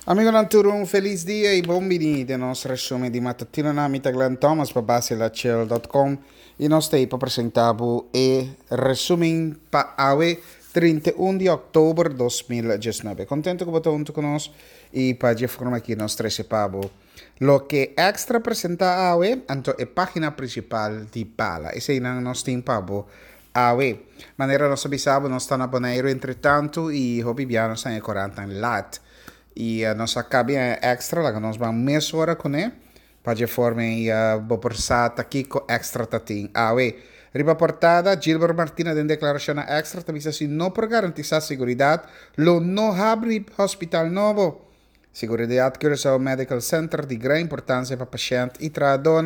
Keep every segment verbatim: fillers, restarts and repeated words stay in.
Amigonan tur, un felis dia i bon bini den nos resumen di matutino. Na mi ta Glenn Thomas pa basilachel punto com i nos ta pa presentá e resumen pa awe, trinta i un di òktober dos mil diesnuebe. Kontentu ku bo ta huntu ku nos i pa di forma ku nos trese pa bo loke Extra a presentá awe, anto e página prinsipal di Bala. Eseinan nos tin pa bo awe. Manera nos a bisa bo, nos ta na Boneiru entre tantu i hopi bia nos ta korant lat. I uh, nos a kaba Extra, laga nos bai mesora kuné, pa di forma i uh, bo por sa kiko Extra ta tin awe. Riba portada, Gilbert Martina den deklarashon na Extra tambe si no por garantisá seguridat, lo no habri hospital nobo. Seguridat Curaçao Medical Center di gran importansia pa pashènt i trahadó.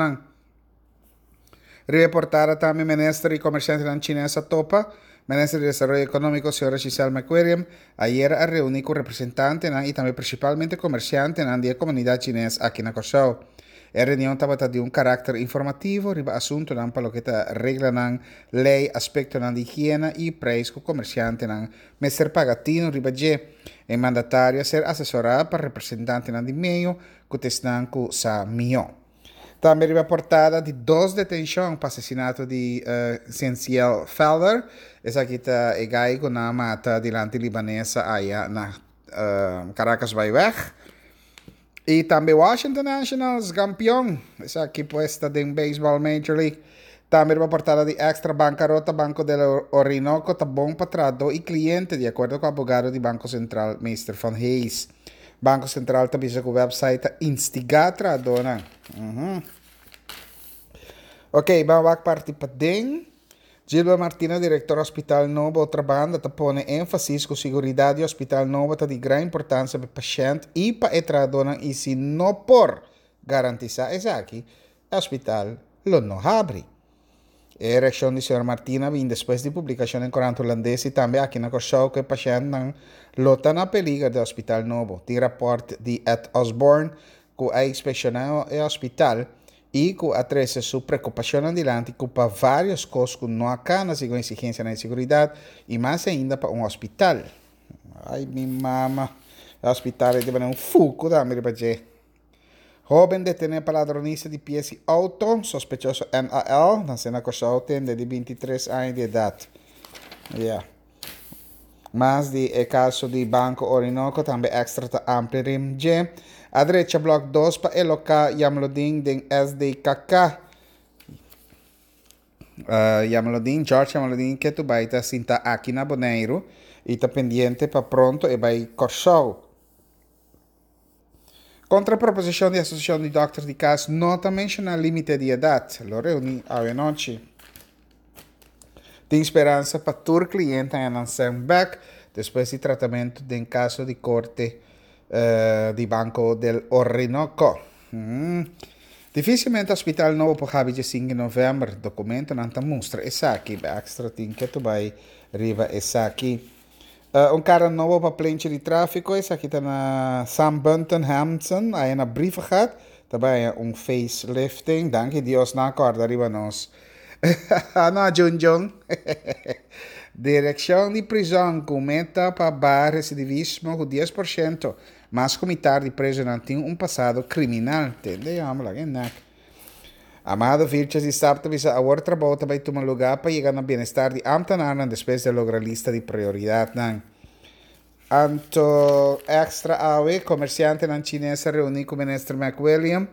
Riba portada tambe, minister i komersiante chines a topa. Minister di Desaroyo Ekonómiko, señora Giselle McWilliam, ayera a reuní ku representante i tambe prinsipalmente komersiante di komunidat chines aki na Kòrsou. E reunion tabata di un karakter informativo riba asuntunan pa loke ta reglanan, lei, aspektonan di higiena i preis ku komersiantenan mester paga tinu riba dje. E mandatario a ser asesorá pa representantenan di medio ku ta esnan ku sa mihó. Tambe riba portada, di dos detenshon pa asesinato di uh, Sensiel Felder. Esaki ta e gai ku nan a mata dilanti Libanesa aya na uh, Caracasbaaiweg. I tambe Washington Nationals kampeon. Esaki pues ta di baseball Major League. Tambe riba portada di Extra, bankarota Banco del Orinoco ta bon pa trahadó i kliente, di akuerdo ku abogado di Banko Sentral, Mister Van Hayes. Banko Sentral tambe ku website ta instigá trahadó. Uhum. Ok, ban parti paden. Gilbert Martina, direktor hospital nobo Otrabanda, ta pone énfasis ku seguridat di hospital nobo ta di gran importansia pa pashènt i pa trahadó i si no por garantisá esaki, hospital lo no habri. E reakshon di señor Martina a bin despues di publikashon den korant hulandes i tambe aki na Kòrsou ku pashèntnan lo ta na peliger den hospital nobo. Tin rapòrt di Ed Osborne ku a inspekshoná e hospital i ku a trese su preokupashon dilanti ku pa vários kos ku no a kana segun eksigensia di seguridat i mas ainda pa un hospital. Ai, mi mama. Hospital ta un fuku da mi. Hóben detené pa ladronisia di piesa di outo, sospechoso N A L, nasé na Kòrsou, di bintitres aña di edat. Yeah. Mas di e kaso di Banko Orinoco, tambe Extra ta amplia G. A drecha blok dos pa eloká Jamlodin den S D K K. Uh, Jamlodin, George Jamlodin, ku bai ta sinta aki na Boneiru i ta pendiente pa pronto e bai Kòrsou. Kontra proposishon di Asosiashon di Dòkter di Kas no ta menshoná límite di edat. Lo reuní awe nochi. Tin speransa pa tur kliente haña nan bèk despues di tratamentu den kaso di korte uh, di Banco del Orinoco. Mm. Difísilmente hospital nobo por habri dia sinku di novèmber. Dokumentonan ta mustra esaki. Extra tin ku bai riba esaki. Uh, un kara nobo pa plenchi di tráfiko. Esaki ta na Sam Bunton Hampson, ei na Brievengat. Tambe un facelifting. Danki Dios nan a kòrda riba nos. No, Jun Jun. Direkshon di prizòn ku meta pa baha residivismo ku dies porshento. Mas ku mitar di prezunan tin un pasado kriminal. Tende? Vamos lá, nek. Amado Vilches di S A P ta bisa awor trabou ta bai tuma lugá pa yega na bienestar di ambtenaarnan despues di logra lista di prioridatnan. Anto Extra awe, komersiantenan chines a reuní ku minister McWilliam.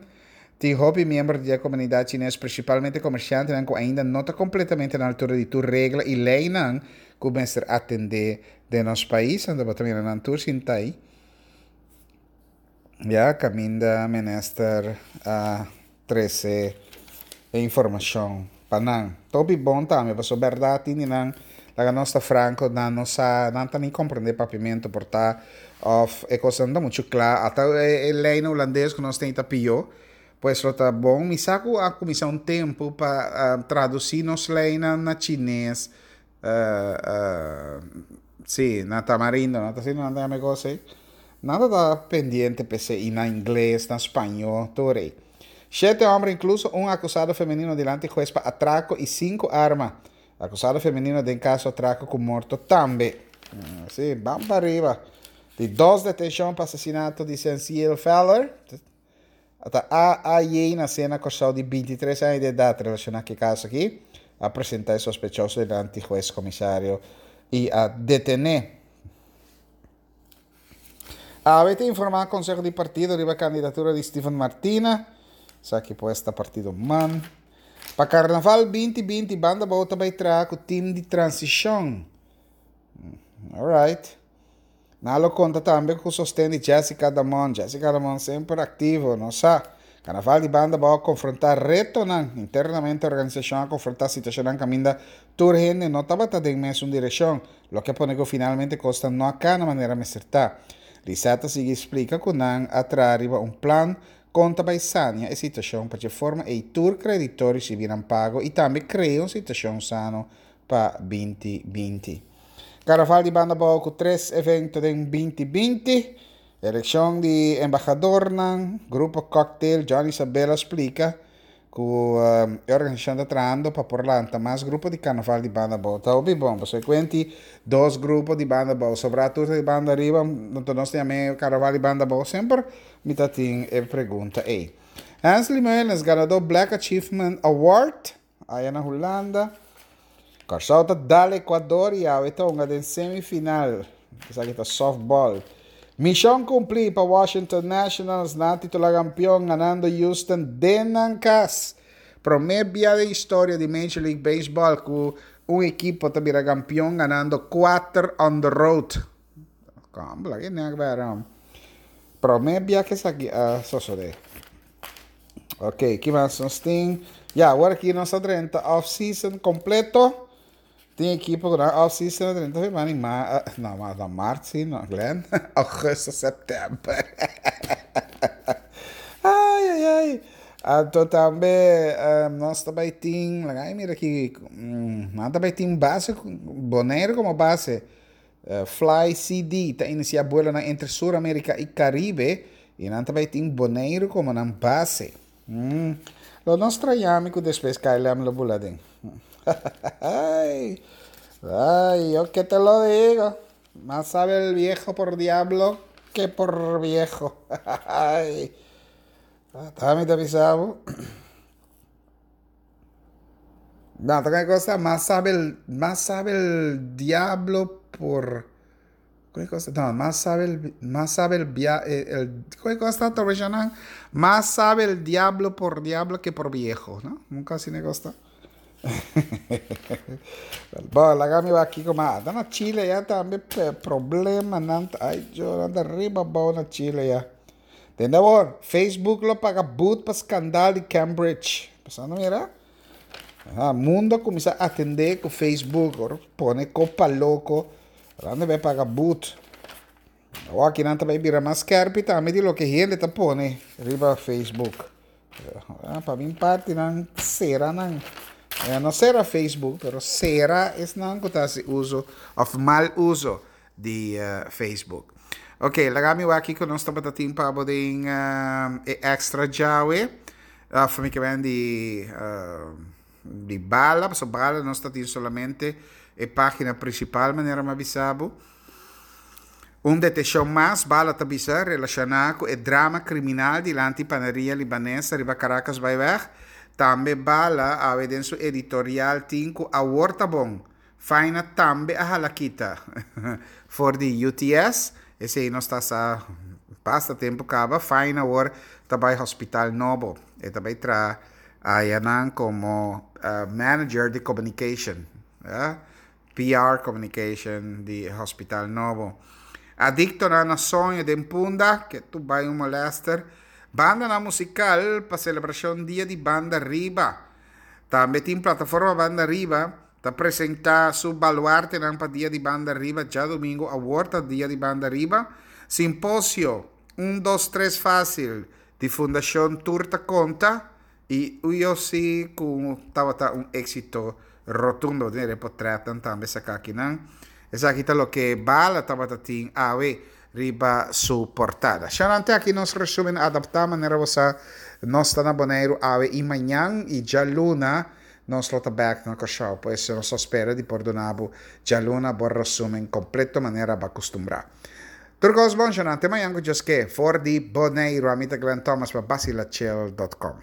Tin hopi miembro di komunidat chines, prinsipalmente komersiantenan ku ainda no ta kompletamente na altura di tur regla i leinan ku mester atendé den nos pais. Anto bo ta mira nan tur sintá ei. Ya, kaminda minister a trese informashon pa nan. Hopi bon tambe, paso berdat nan laga nos ta franko, nan no sa, nan ta ni komprondé papiamentu por ta òf e kos no muchu kla. Ata e, e lei hulandes ku nos tin ta pió. Pues lo ta bon, mi sa ku a kuminsá un tempu pa uh, tradusí nos leinan na chines, uh, uh, sí, na tamarindo, no ta asina nan ta kos ei. Nada ta pendiente p'esei na ingles, na spañó, tur ei. Shete hòmber, inkluso un akusado femenino, dilanti hues pa atrako i sinku arma. Akusado femenino den kaso atrako ku morto tambe. Sí, ban pa ariba. Di dos detenshon pa asesinato di Senciel Feller. Ata A A J nasé na Kòrsou di bintitres aña di edat relashoná ku e kaso aki. A presentá e sospechoso dilanti hues komisario i a detené. A ta informá Konseho di Partido riba kandidatura di Steven Martina. Esaki pues ta partido MAN. Pa Karnaval dos mil binti, Banda Bou ta bai traha ku tim di transishon. Alright. Nan lo konta tambe ku sosten di Jessica Damon. Jessica Damon semper aktivo, no sa. Karnaval di Banda Bou konfrontá retonan. Internamente organisashon a konfrontá situashon kaminda tur hende no tabata den mesun direkshon. Loke a pone ku finalmente kos no a kana manera mester ta. Lisette a sigui splika ku nan a traha riba un plan kon ta bai sania e situashon pa di forma e tur kreditor risibí nan pago i tambe krea un situashon sano pa dos mil binti. Karnaval di Banda Bou ku tres evento den dos mil binti. Elekshon di embahador, grupo Cocktail, Johnny Isabella a splika ku um, e organisashon ta trahando pa por lanta mas grupo di karnaval di Banda Bou. Ta bon, bo kuenta dos grupo di Banda Bou, sobrá tur di Banda Riba, anto nos tin karnaval di Banda Bou semper, mi tin e pregunta ei. Hensley Meulens, ganadó Black Achievement Award, aya na Hulanda. Kòrsou ta dal Ecuador i awe ta den semifinal. Esaki ta softball. Mishon kumplí pa Washington Nationals, nan a titulá kampeon, ganando Houston den nan kas. Promé bia den historia di Major League Baseball ku un ekipo ta bira kampeon ganando kuater on the road. Kon, ku ne agora? Promé bia ku esaki a sosodé. Ok, ki mas nos tin? Ya, awor aki nos ta drenta off-season kompleto. Tin ekipo ku off-season drenta na ma, no, ma na mart, si, no, Glenn. Ougùstùs, sèptèmber. Ai, ai, ai. Anto tambe um, nos tambe tin, ai, mira aki, um, nos tambe tin base, Boneiru komo base. Uh, Fly C D ta inisiá vuelo na entre Suramérika i Karibe i nan tambe tin Boneiru komo nan base. Hum. Lo nos straña ku despues K L M lo bula den. Ay, ay, yo que te lo digo. Más sabe el viejo por diablo que por viejo. Ay. Ta mi avisá. No, otra cosa, más sabe el, más sabe el diablo por. ¿Qué cosa? No, más sabe el, más sabe el, el, el ¿qué cosa está? Más sabe el diablo por diablo que por viejo, ¿no? Nunca así me gusta. Bon, laga mi aki komo na Chile ya tambe problema nan ai yo anda riba bou na Chile ya. Tende awor, Facebook lo paga boet pa skandalo di Cambridge. Pasando mira. Ah, mundu a kuminsá atendé ku Facebook, awor pone kopa loko, anda bai paga boet. Awor aki nan tambe bira mas skèrpi tambe di loke hende ta pone riba Facebook. Ah, pa mi parti nan sera nan. Eh, no sera Facebook, pero sera esnan ku ta hasi uso òf mal uso di uh, Facebook. Ok, laga mi aki ku nos tabata tin pa den uh, Extra djawe. Uh, mi ke men di uh, di Bala, so Bala nos tin solamente e página prinsipal manera m'a bisa bo. Un detenshon mas, Bala ta bisa, relashoná ku e drama kriminal dilanti panaderia libanes riba Caracas Byweg. Tambe Bala, awe den su editorial tin ku awor ta bon. Faina tambe a hala kita for di U T S. Esei nos ta sa basta tempu kaba. Faina awor ta bai Hospital Nobo. E ta bai traha ayanan komo uh, manager di communication. Uh, P R communication di Hospital Nobo. Adikto na na soño den Punda, ku tur bai un molester. Banda na musikal pa selebrashon Dia di Banda Riba. Tambe tin Plataforma Banda Riba, ta presentá su baluarte pa Dia di Banda Riba, djadumingu, awor ta Dia di Banda Riba. Simposio, un, dos, tres fásil, di Fundashon Tur Ta Konta, i U O C ku tabata un éksito rotundo, tin portrèt tambe saká akinan. Esaki ta loke Bala tabata tin awe riba su portada. Xanante aki nos resúmen adaptá manera bo nos ta na Boneiru awe i mañan i djaluna nos lo ta bèk na Kòrsou. Pues nos ta spera di por duna bo djaluna bo resúmen kompleto manera bo a kustumbrá. Tur kos bon, te mañan ku Dios ke, for di Boneiru, ami ta Glenn Thomas pa Basilachel punto com.